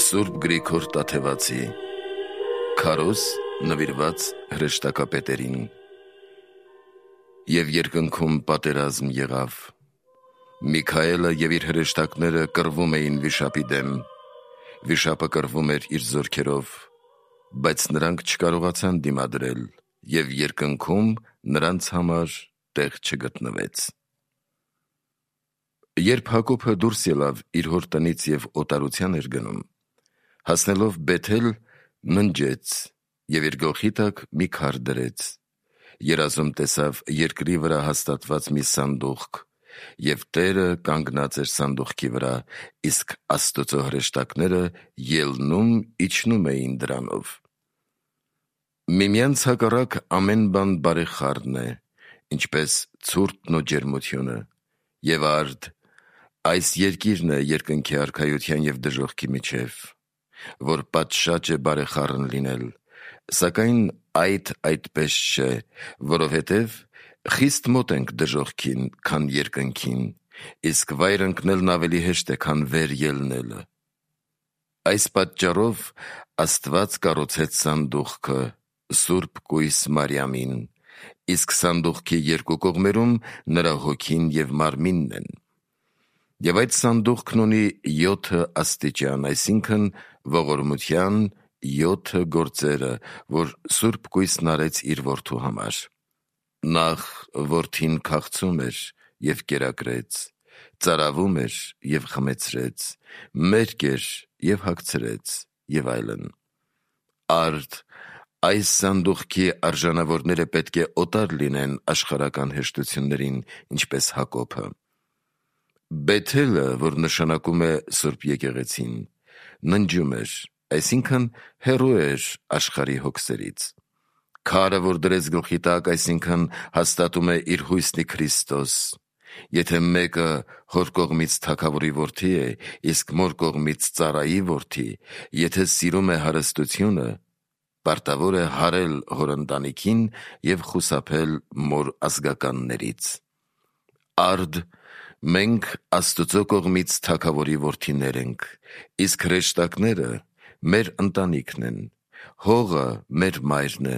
Սուրբ Գրիգոր Տաթևացի Քարոզ նվիրված հրեշտակապետերին։ Եվ երկնքում պատերազմ եղավ։ Միքայելը և իր հրեշտակները կռվում էին վիշապի դեմ։ Վիշապը կռվում էր իր զորքերով, բայց նրանք չկարողացան դիմադրել, և երկնքում նրանց համար տեղ չգտնվեց։ Երբ Հակոբը դուրս ելավ իր հոր տնից և օտարության էր գնում, հասնելով Բեթել, ննջեց և իր գլխի տակ մի քար դրեց, երազում տեսավ երկրի վրա հաստատված մի սանդուղք, և Տերը կանգնած էր սանդուղքի վրա, իսկ Աստծո հրեշտակները ելնում իջնում էին դրանով։ Միմյանց հակառակ ամեն բան բարեխառն է, ինչպես ցուրտն ու ջերմությունը, և արդ, այս երկիրն է երկնքի արքայության և դժոխքի միջև, որ պատշաճ է բարեխառն լինել, սակայն այդ այդպես չէ, որովհետև խիստ մոտ ենք դժոխքին, քան երկնքին, իսկ վայր ընկնելն ավելի հեշտ է, քան վեր ելնելը։ Այս պատճառով Աստված կառուցեց սանդուղքը Սուրբ կույս Մարիամին, իսկ սանդուղքի երկու կողմերում նրա հոգին և մարմինն են։ Եվ այդ սանդուղքն ունի 7 աստիճան, այսինքն ողորմության 7 գործերը, որ Սուրբ կույսն արեց իր որդու համար։ Նախ որդին քաղցում էր և կերակրեց, ծարավում էր և խմեցրեց, մերկ էր և հագցրեց և այլն։ Արդ, այս սանդուղքի արժանավորները պետք է օտար լինեն աշխարհական հեշտություններին, ինչպես Հակոբը։ Բեթելը, որ նշանակում է Սուրբ եկեղեցին, ննջում էր, այսինքն հեռու էր աշխարհի հոգսերից։ Քարը, որ դրեց գլխի տակ, այսինքն հաստատում է իր հույսն ի Քրիստոս։ Եթե մեկը հոր կողմից թագավորի որդի է, իսկ մոր կողմից ծառայի որդի, եթե սիրում է հարստությունը, պարտավոր է հարել հոր ընտանիքին և խուսափել մոր ազգականներից։ Արդ, մենք Աստծո կողմից թագավորի որդիներ ենք, իսկ հրեշտակները մեր ընտանիքն են, հողը մեր մայրն է,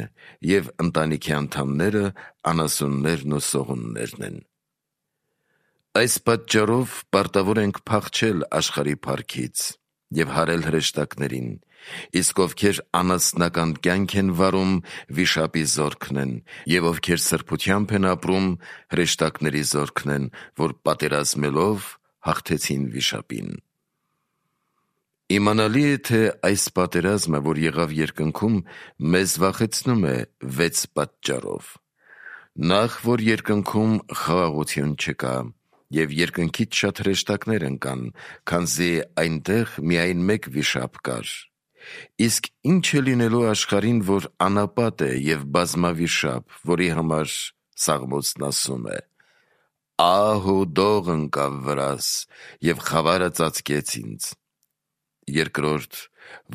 և ընտանիքի անդամները անասուններն ու սողուններն են։ Այս պատճառով պարտավոր ենք փախչել աշխարհի փառքից և հարել հրեշտակներին, իսկ ովքեր անասնական կյանք են վարում, վիշապի զորքն են, և ովքեր սրբությամբ են ապրում, հրեշտակների զորքն են, որ պատերազմելով հաղթեցին վիշապին։ Իմանալի է, թե այս պատերազմը, որ եղավ երկնքում, մեզ վախեցնում է 6 պատճառով։ Նախ, որ երկնքում խաղաղություն չկա, և երկնքից շատ հրեշտակներ ընկան, քանզի այնտեղ միայն մեկ վիշապ կար։ Իսկ ինչ է լինելու աշխարհին, որ անապատ է և բազմավիշապ, որի համար Սաղմոսն ասում է. «Ահ ու դող ընկավ վրաս, և խավարը ծածկեց ինձ»։ Երկրորդ,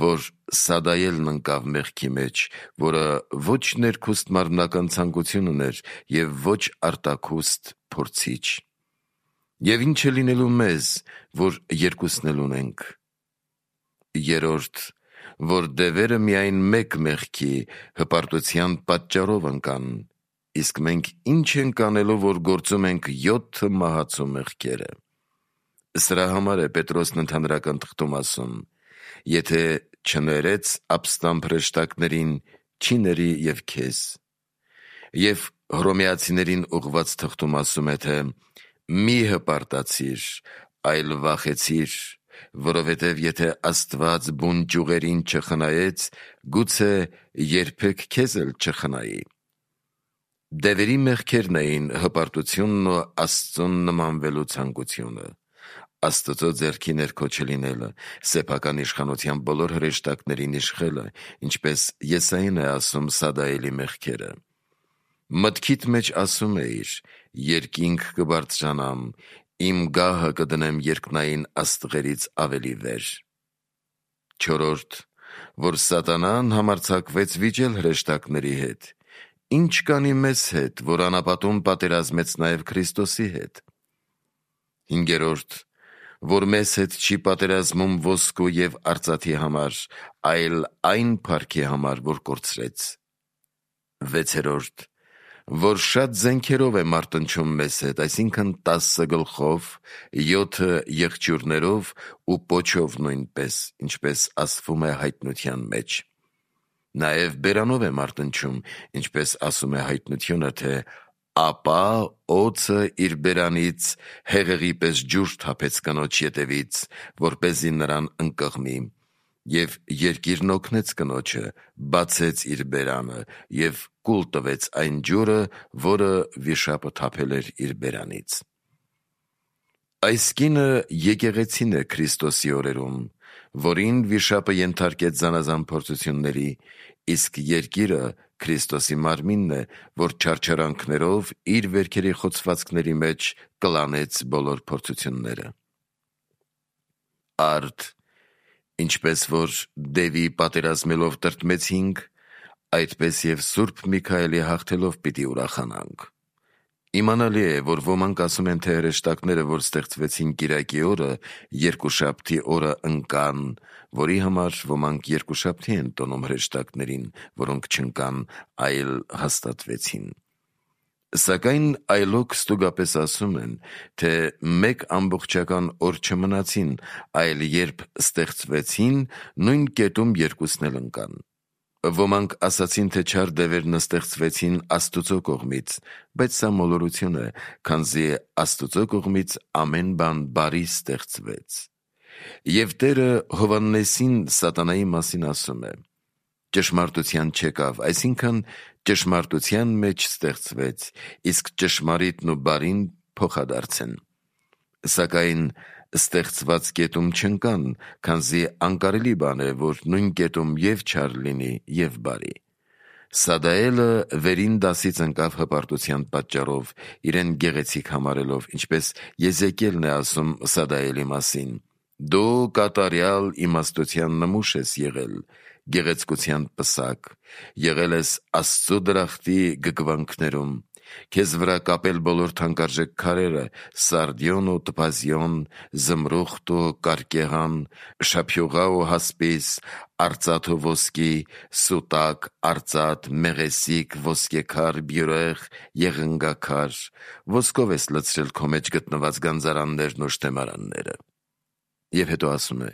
որ Սադայելն ընկավ մեղքի մեջ, որը ոչ ներքուստ մարմնական ցանկություն ուներ և ոչ արտաքուստ փորձիչ։ Եվ ինչ է լինելու մեզ, որ երկուսն էլ ունենք։ Երրորդ, որ դևերը միայն մեկ մեղքի, հպարտության պատճառով ընկան, իսկ մենք ինչ ենք անելու, որ գործում ենք 7 մահացու մեղքերը։ Սրա համար է Պետրոսն ընդհանրական թղթում ասում. «Եթե չներեց ապստամբ հրեշտակներին, չի ների և քեզ»։ Եվ Հռոմեացիներին ուղղված թղթում ասում է, թե «Մի հպարտացիր, այլ վախեցիր, որովհետև եթե Աստված բուն ճյուղերին չխնայեց, գուցե երբեք քեզ էլ չխնայի»։ Դևերի մեղքերն էին հպարտությունն ու Աստծուն նմանվելու ցանկությունը, Աստծո ձեռքի ներքո չլինելը, սեփական իշխանության բոլոր հրեշտակներին իշխելը, ինչպես Եսային է ասում Սադայելի մեղքերը։ Մտքիդ մեջ ասում էիր. «Երկինք կբարձրանամ, իմ գահը կդնեմ երկնային աստղերից ավելի վեր»։ Չորրորդ, որ Սատանան համարձակվեց վիճել հրեշտակների հետ, ինչ կանի մեզ հետ, որ անապատում պատերազմեց նաև Քրիստոսի հետ։ Հինգերորդ, որ մեզ հետ չի պատերազմում ոսկու և արծաթի համար, այլ այն փառքի համար, որ կորցրեց։ 6. Որ շատ զենքերով է մարտնչում մեզ հետ, այսինքն 10 գլխով, 7 եղջյուրներով ու պոչով նույնպես, ինչպես ասվում է հայտնության մեջ։ Նաև բերանով է մարտնչում, ինչպես ասում է հայտնությունը, թե ապա օձը իր բերանից հեղեղի պես ջուր թափեց կնոջ ետևից, որպեսզի նրան ընկղմի, և երկիրն օգնեց կնոջը, բացեց իր բերանը և կուլ տվեց այն ջուրը, որը վիշապը թափել էր իր բերանից։ Այս կինը եկեղեցին է Քրիստոսի օրերում, որին վիշապը ենթարկեց զանազան փորձությունների, իսկ երկիրը Քրիստոսի մարմինն է, որ չարչարանքներով իր վերքերի խոցվածքների մեջ կլանեց բոլոր փորձությունները։ Արդ, ինչպես որ դևի պատերազմելով տրտմեցինք, այդպես և Սուրբ Միքայելի հաղթելով պիտի ուրախանանք։ Իմանալի է, որ ոմանք ասում են, թե հրեշտակները, որ ստեղծվեցին կիրակի օրը, երկուշաբթի օրը ընկան, որի համար ոմանք երկուշաբթի են տոնում հրեշտակներին, որոնք չընկան, այլ հաստատվեցին։ Սակայն այլոք ստուգապես ասում են, թե մեկ ամբողջական օր չմնացին, այլ երբ ստեղծվեցին, նույն կետում երկուսն էլ ընկան։ Ոմանք ասացին, թե չար դևերն ստեղծվեցին Աստուծո կողմից, բայց սա մոլորություն է, քանզի Աստուծո կողմից ամեն բան բարի ստեղծվեց։ Եվ Տերը Հովհաննեսին սատանայի մասին ասում է. ճշմարտության չեկավ, այսինքն ճշմարտության մեջ ստեղծվեց, իսկ ճշմարիտն ու բարին փոխադարձ են։ Սակայն ստեղծված կետում չընկան, քանզի անկարելի բան է, որ նույն կետում և չար լինի, և բարի։ Սադայելը վերին դասից ընկավ հպարտության պատճառով, իրեն գեղեցիկ համարելով, ինչպես Եզեկիելն է ասում Սադայելի մասին. «Դու կատարյալ իմաստության նմուշ ես եղել, գեղեցկության պսակ, եղել ես Աստծո դրախտի գգվանքներում, քեզ վրա կապել բոլոր թանկարժեք քարերը, սարդիոն ու տպազիոն, զմրուխտ ու կարկեղան, շափյուղա ու հասպիս, արծաթ ու ոսկի, սուտակ, արծաթ, մեղեսիկ, ոսկեքար, բյուրեղ, եղնգաքար, ոսկով ես լցրել քո մեջ գտնված գանձարաններն ու շտեմարանները»։ Եվ հետո ասում է.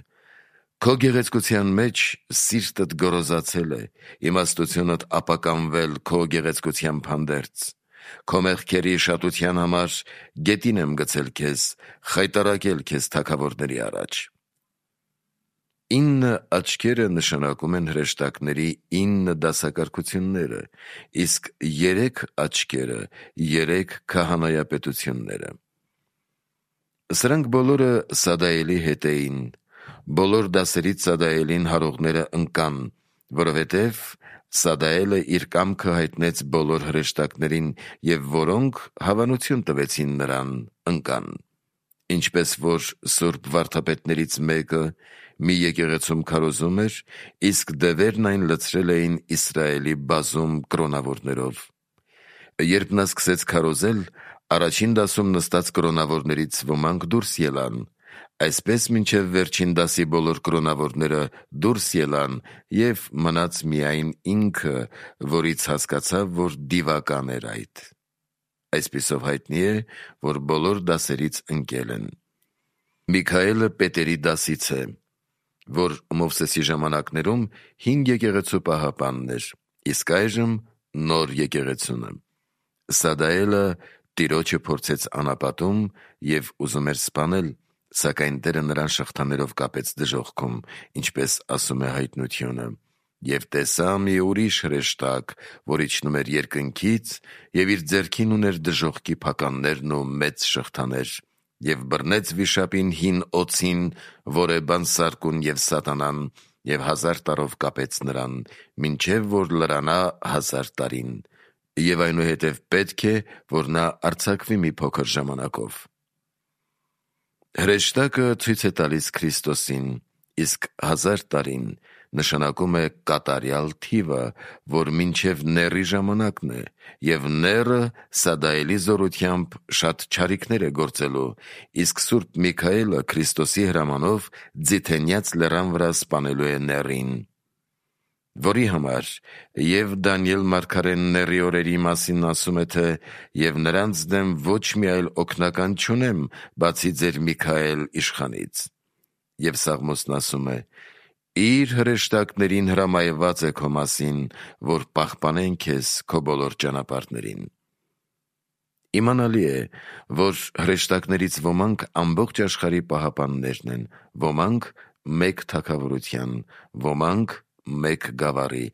«Քո գեղեցկության մեջ սիրտդ գոռոզացել է, իմաստությունդ ապականվել քո գեղեցկությամբ հանդերձ։ Քո մեղքերի շատության համար գետին եմ գցել քեզ, խայտառակել քեզ թագավորների առաջ»։ 9 աչքերը նշանակում են հրեշտակների 9 դասակարգությունները, իսկ 3 աչքերը 3 քահանայապետությունները։ Սրանք բոլորը Սադայելի հետ էին։ Բոլոր դասերից Սադայելին հարողները ընկան, որովհետև Սադայելը իր կամքը հայտնեց բոլոր հրեշտակներին, և որոնք հավանություն տվեցին նրան, ընկան։ Ինչպես որ սուրբ վարդապետներից մեկը մի եկեղեցում քարոզում էր, իսկ դևերն այն լցրել էին Իսրայելի բազում կրոնավորներով։ Երբ նա սկսեց քարոզել, առաջին դասում նստած կրոնավորներից ոմանք դուրս ելան, այսպես մինչև վերջին դասի բոլոր կրոնավորները դուրս ելան, և մնաց միայն ինքը, որից հասկացավ, որ դիվական էր այդ։ Այսպիսով հայտնի է, որ բոլոր դասերից ընկել են։ Միքայելը Պետերի դասից է, որ Մովսեսի ժամանակներում 5 եկեղեցու պահապանն էր, իսկ այժմ նոր եկեղեցունը։ Սադայելը Տիրոջը փորձեց անապատում և ուզում էր սպանել, սակայն Տերը նրան շղթաներով կապեց դժոխքում, ինչպես ասում է հայտնությունը։ Եվ տեսա մի ուրիշ հրեշտակ, որ իջնում էր երկնքից, և իր ձեռքին ուներ դժոխքի փականներն ու մեծ շղթաներ, և բռնեց վիշապին հին օձին, որ է բանսարկուն և սատանան, և 1000 տարով կապեց նրան, մինչև որ լրանա 1000 տարին, և այնուհետև պետք է, որ նա արձակվի մի փոքր ժամանակով։ Հրեշտակը ցույց է տալիս Քրիստոսին, իսկ 1000 տարին նշանակում է կատարյալ թիվը, որ մինչև նեռի ժամանակն է, և նեռը սադայելի զորությամբ շատ չարիքներ է գործելու, իսկ Սուրբ Միքայելը Քրիստոսի հրամանով Ձիթենյաց լեռան վրա սպանելու է նեռին, որի համար և Դանիել մարգարեն նեռի օրերի մասին ասում է, թե «Եվ նրանց դեմ ոչ մի այլ օգնական չունեմ, բացի ձեր Միքայել իշխանից»։ Եվ Սաղմոսն ասում է. «Իր հրեշտակներին հրամայված է քո մասին, որ պահպանեն քեզ քո բոլոր ճանապարհներին»։ Իմանալի է, որ հրեշտակներից ոմանք ամբողջ աշխարհի պահապաններն են, ոմանք մեկ թագավորության, ոմանք մեկ գավառի,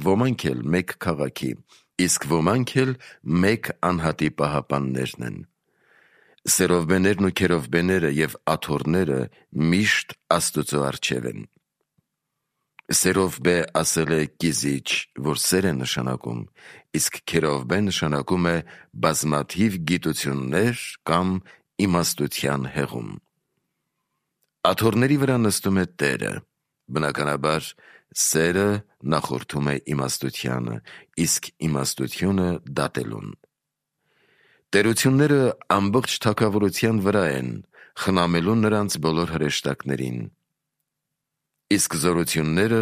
ոմանք էլ մեկ քաղաքի, իսկ ոմանք էլ մեկ անհատի պահապաններն են։ Սերովբեներն ու քերովբեները և աթոռները միշտ Աստուծո առջև են։ Սերովբե ասել է կիզիչ, որ սեր է նշանակում, իսկ քերովբե նշանակում է բազմաթիվ գիտություններ կամ իմաստության հեղում։ Աթոռների վրա նստում է Տերը, բնականաբար սերը նախորդում է իմաստությանը, իսկ իմաստությունը դատելուն։ Տերությունները ամբողջ թագավորության վրա են, խնամելու նրանց բոլոր հրեշտակներին, իսկ զորությունները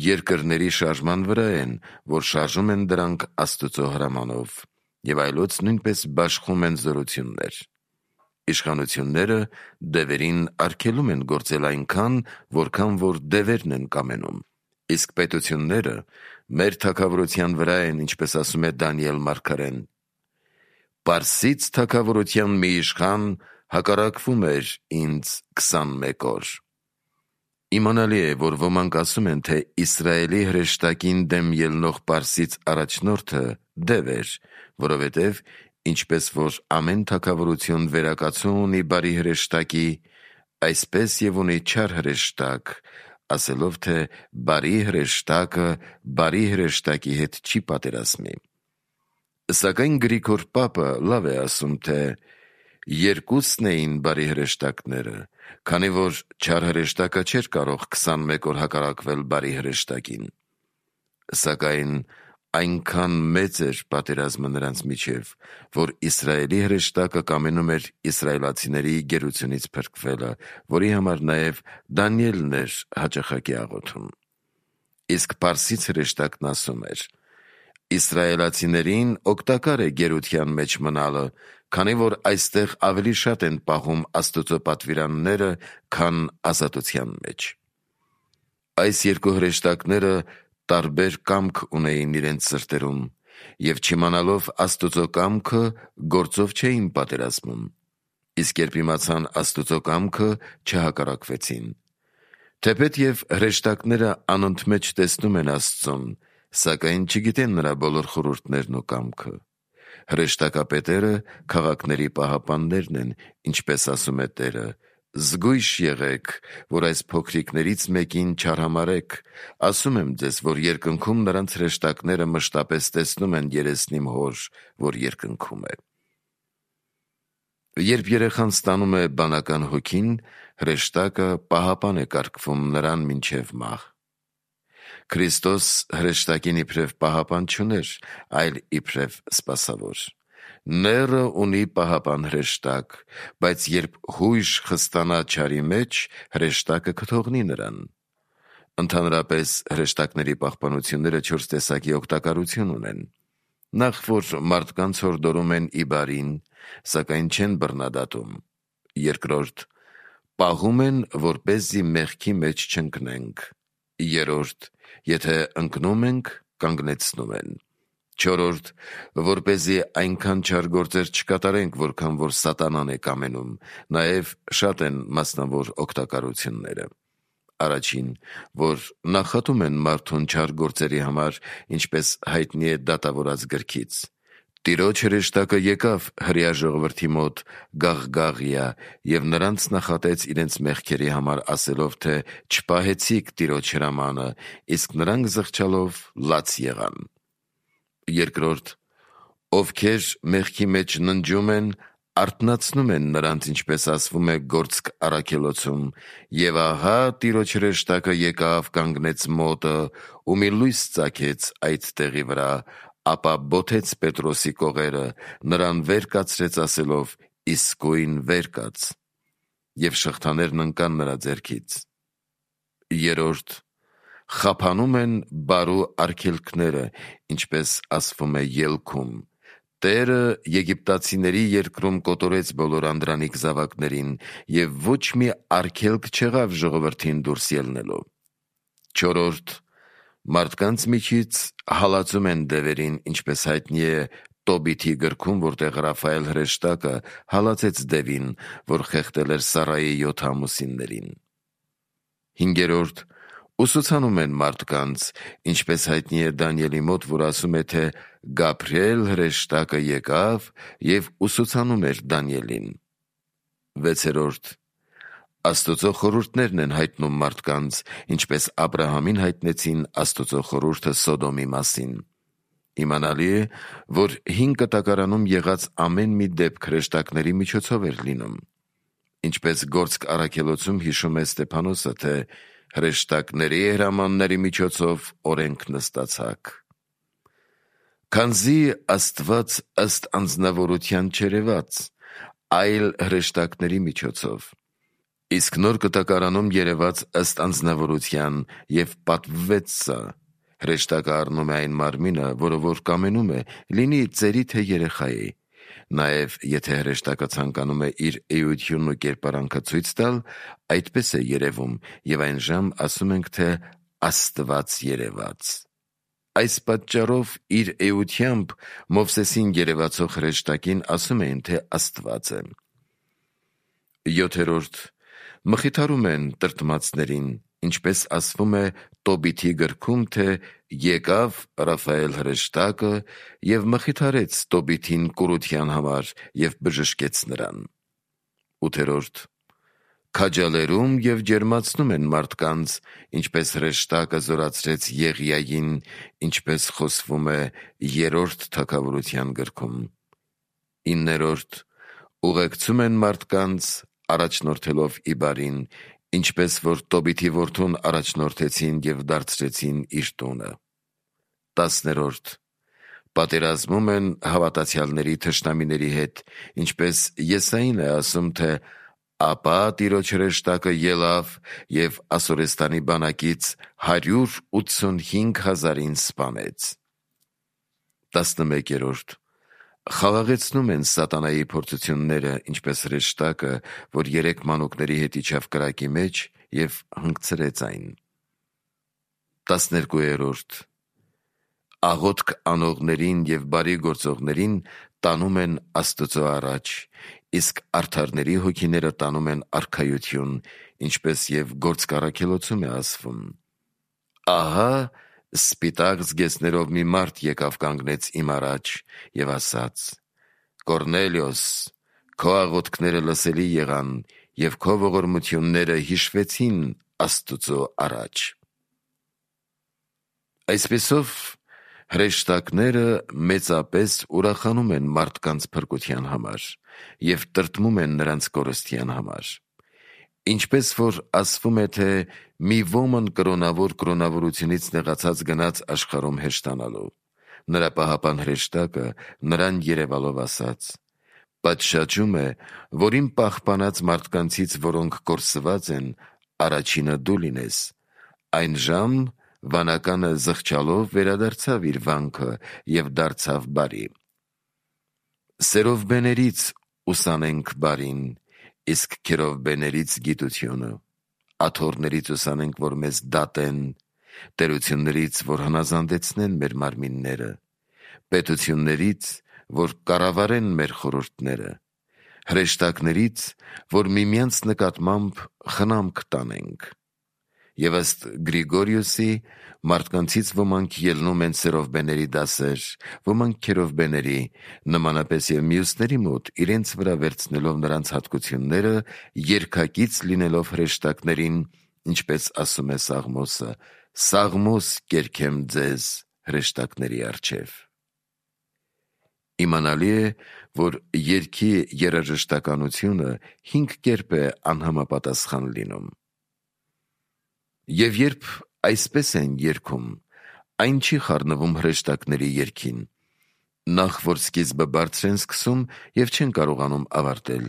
երկրների շարժման վրա են, որ շարժում են դրանք Աստուծո հրամանով, և այլոց նույնպես բաշխում են զորություններ։ Իշխանությունները դևերին արգելում են գործել այնքան, որքան որ դևերն են կամենում, իսկ պետությունները մեր թագավորության վրա են, ինչպես ասում է Դանիել մարգարեն. «Պարսից թագավորության մի իշխան հակառակվում էր ինձ 21 օր»։ Իմանալի է, որ ոմանք ասում են, թե Իսրայելի հրեշտակին դեմ ելնող պարսից առաջնորդը դև էր, որովհետև ինչպես որ ամեն թագավորություն վերակացու ունի բարի հրեշտակի, այսպես և ունի չար հրեշտակ, ասելով, թե բարի հրեշտակը բարի հրեշտակի հետ չի պատերազմի։ Սակայն Գրիգոր Պապը լավ է ասում, թե երկուսն էին բարի հրեշտակները, քանի որ չար հրեշտակը չէր կարող 21 օր հակառակվել բարի հրեշտակին։ Սակայն այնքան մեծ էր պատերազմը նրանց միջև, որ Իսրայելի հրեշտակը կամենում էր իսրայելացիների գերությունից փրկվելը, որի համար նաև Դանիելն էր հաճախակի աղոթում։ Իսկ պարսից հրեշտակն ասում էր. իսրայելացիներին օգտակար է գերության մեջ մնալը, քանի որ այստեղ ավելի շատ են պահում Աստուծո պատվիրանները, քան ազատության մեջ։ Այս երկու հրեշտակները տարբեր կամք ունեին իրենց սրտերում, և չիմանալով Աստուծո կամքը, գործով չէին պատերազմում, իսկ երբ իմացան Աստուծո կամքը, չհակառակվեցին։ Թեպետև հրեշտակները անընդմեջ տեսնում են Աստծուն, սակայն չգիտեն նրա բոլոր խորհուրդներն ու կամքը։ Հրեշտակապետերը քաղաքների պահապաններն են, ինչպես ասում է Տերը. «Զգույշ եղեք, որ այս փոքրիկներից մեկին չարհամարեք, ասում եմ ձեզ, որ երկնքում նրանց հրեշտակները մշտապես տեսնում են երեսն իմ Հոր, որ երկնքում է»։ Երբ երեխան ստանում է բանական հոգին, հրեշտակը պահապան է կարգվում նրան մինչև մահ։ Քրիստոս հրեշտակին իբրև պահապան չուներ, այլ իբրև սպասավոր։ Նեռը ունի պահապան հրեշտակ, բայց երբ հույժ խստանա չարի մեջ, հրեշտակը կթողնի նրան։ Ընդհանրապես հրեշտակների պահպանությունները 4 տեսակի օգտակարություն ունեն։ Նախ, որ մարդկանց հորդորում են ի բարին, սակայն չեն բռնադատում։ Երկրորդ, պահում են, որպեսզի մեղքի մեջ չընկնենք։ Երրորդ, եթե ընկնում ենք, կանգնեցնում են։ Չորրորդ, որպեսզի այնքան չար գործեր չկատարենք, որքան որ սատանան է կամենում, նաև շատ են մասնավոր օգտակարությունները։ Առաջին, որ նախատում են մարդուն չար գործերի համար, ինչպես հայտնի է դատավորաց գրքից. «Տիրոջ հրեշտակը եկավ հրեա ժողովրդի մոտ Գաղգաղիա և նրանց նախատեց իրենց մեղքերի համար, ասելով, թե չպահեցիք Տիրոջ հրամանը, իսկ նրանք զղջալով լաց եղան»։ Երկրորդ, ովքեր մեղքի մեջ ննջում են, արթնացնում են նրանց, ինչպես ասվում է Գործք առաքելոցում, եւ ահա Տիրոջ հրեշտակը եկավ, կանգնեց մոտը ու մի լույս ծագեց այդ տեղի վրա, ապա բոթեց Պետրոսի կողերը, նրան վեր կացրեց ասելով. իսկույն վեր կաց, եւ շղթաներն ընկան նրա ձեռքից։ Երորդ, խափանում են բարու արգելքները, ինչպես ասվում է ելքում։ Տերը եգիպտացիների երկրում կոտորեց բոլոր անդրանիկ զավակներին, եւ ոչ մի արգելք չեղավ ժողովրդին դուրս ելնելով։ Չորրորդ, մարդկանց միջից հալածում են դևերին, ինչպես հայտնի է Տոբիթի գրքում, որտեղ Ռաֆայել հրեշտակը հալածեց դևին, որ խեղդել էր Սարայի 7 ամուսիններին։ Հինգերորդ, ուսուցանում են մարդկանց, ինչպես հայտնի է Դանիելի մոտ, որ ասում է, թե Գաբրիել հրեշտակը եկավ եւ ուսուցանում էր Դանիելին։ Վեցերորդ, Աստծո խորհուրդներն են հայտնում մարդկանց, ինչպես Աբրահամին հայտնեցին Աստծո խորհուրդը Սոդոմի մասին։ Իմանալի է, որ 5 կտակարանում եղած ամեն մի դեպք հրեշտակների միջոցով էր լինում։ Ինչպես Գործք առաքելոցում հիշում է Ստեփանոսը, թե հրեշտակների հրամանների միջոցով օրենք նստացաք։ Քանզի Աստված ըստ անձնավորության չերևաց, այլ հրեշտակների միջոցով, իսկ նոր կտակարանում երևաց ըստ անձնավորության եւ պատվվեց սա։ Հրեշտակը առնում է այն մարմինը, որը որ կամենում է, լինի ծերի թե երեխայի։ Նաև եթե հրեշտակը ցանկանում է իր էությունն ու կերպարանքը ցույց տալ, այդպես է երևում, եւ այն ժամ ասում ենք, թե Աստված երևաց։ Այս պատճառով իր էությամբ Մովսեսին երևացող հրեշտակին ասում էին, թե Աստված է։ 7. Մխիթարում են տրտմածներին, ինչպես ասվում է Տոբիթի գրքում, թե եկավ Ռաֆայել հրեշտակը եւ մխիթարեց Տոբիթին կուրության համար եւ բժշկեց նրան։ 8. Քաջալերում եւ ջերմացնում են մարդկանց, ինչպես հրեշտակը զորացրեց Եղիային, ինչպես խոսվում է 3-րդ թագավորության գրքում։ 9. Ուղեկցում են մարդկանց, առաջնորդելով Իբարին, ինչպես որ Տոբիթի որդուն առաջնորդեցին եւ դարձրեցին իր տունը։ 10. Պատերազմում են հավատացյալների թշնամիների հետ, ինչպես Եսային է ասում, թե ապա Տիրոջ հրեշտակը ելավ եւ Ասորեստանի բանակից 185,000-ին սպանեց։ 11. Խաղաղեցնում են սատանայի փորձությունները, ինչպես հրեշտակը, որ 3 մանուկների հետ իջավ կրակի մեջ եւ հանգցրեց այն։ 12. Աղոթք անողներին եւ բարի գործողներին տանում են Աստծո առաջ, իսկ արդարների հոգիները տանում են արքայություն, ինչպես եւ Գործք առաքելոցում է ասվում։ Ահա սպիտակ զգեստներով մի մարդ եկավ կանգնեց իմ առաջ եւ ասաց. Կորնելիոս, քո աղոթքները լսելի եղան եւ քո ողորմությունները հիշվեցին Աստծո առաջ։ Այսպեսով հրեշտակները մեծապես ուրախանում են մարդկանց փրկության համար եւ տրտմում են նրանց կորստյան համար։ Ինչպես որ ասվում է, թե մի ոմն կրոնավոր կրոնավորությունից նեղացած գնաց աշխարհում հեշտանալու, նրա պահապան հրեշտակը նրան երևալով ասաց. պատշաճում է, որ իմ պահպանած մարդկանցից, որոնք կորսված են, առաջինը դու լինես։ Այն ժամ վանականը զղջալով վերադարձավ իր վանքը եւ դարձավ բարի։ Սերովբեներից ուսանենք բարին, իսկ քերովբեներից գիտությունը, աթոռներից ուսանենք, որ մեզ դատեն, տերություններից, որ հնազանդեցնեն մեր մարմինները, պետություններից, որ կառավարեն մեր խորհուրդները, հրեշտակներից, որ միմյանց նկատմամբ խնամք տանենք։ Եվ ըստ Գրիգորիոսի, մարդկանցից ոմանք ելնում են սերովբեների դասեր, ոմանք քերովբեների, նմանապես եւ մյուսների մոտ իրենց վրա վերցնելով նրանց հատկությունները, երկակից լինելով հրեշտակներին, ինչպես ասում է Սաղմոսը. Սաղմոս կերքեմ ձեզ հրեշտակների առջև։ Իմանալի է, որ երգի երաժշտականությունը 5 կերպ է անհամապատասխան լինում։ Եվ երբ այսպես են երգում, այն չի խառնվում հրեշտակների երգին, նախ որ սկիզբը բարձր են սկսում և չեն կարողանում ավարտել,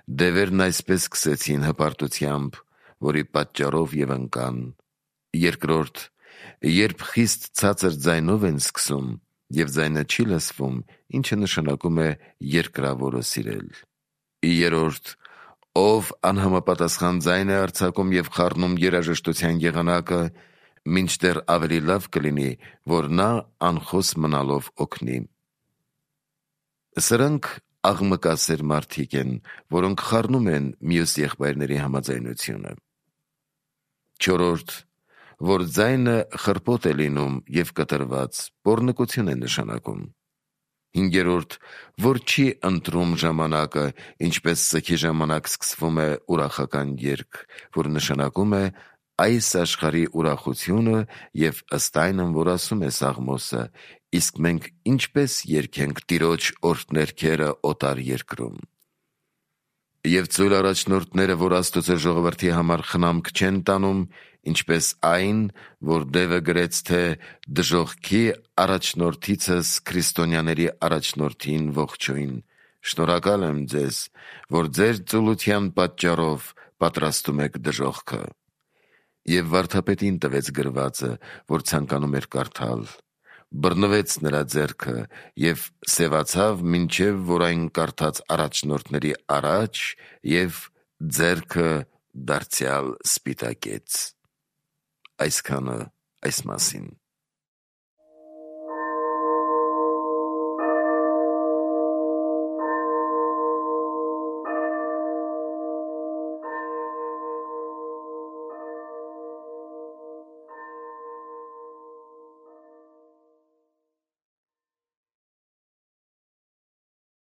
դևերն այսպես սկսեցին հպարտությամբ, որի պատճառով և ընկան։ Երկրորդ, երբ խիստ ցածր ձայնով են սկսում և ձայնը չի լսվում, ինչը նշանակում է երկրավորը սիրել։ Երրորդ, ով անհամապատասխան ձայն է արձակում և խառնում երաժշտության եղանակը, մինչդեռ ավելի լավ կլինի, որ նա անխոս մնալով օգնի։ Սրանք աղմկասեր մարդիկ են, որոնք խառնում են մյուս եղբայրների համաձայնությունը։ Չորրորդ, որ ձայնը խրպոտ է լինում և կտրված, պոռնկություն է նշանակում։ Հինգերորդ, որ չի ընտրում ժամանակը, ինչպես սգի ժամանակ սկսվում է ուրախական երգ, որ նշանակում է այս աշխարհի ուրախությունը և ըստ այնմ, որ ասում է Սաղմոսը, իսկ մենք ինչպես երգենք Տիրոջ օրհներգերը օտար երկրում։ Եվ ծույլ առաջնորդները, որ Աստծո ժողովրդի համար խնամք չեն տանում, ինչպես այն, որ դևը գրեց, թե դժոխքի առաջնորդիցս քրիստոնյաների առաջնորդին ողջույն, շնորհակալ եմ ձեզ, որ ձեր ծուլության պատճառով պատրաստում եք դժոխքը։ Եվ վարդապետին տվեց գրվածը, որ ցանկանում էր կարդալ, բռնվեց նրա ձեռքը և սևացավ, մինչև որ այն կարդաց առաջնորդների առաջ և ձեռքը դարձյալ սպիտակեց։ Այսքանը այս մասին։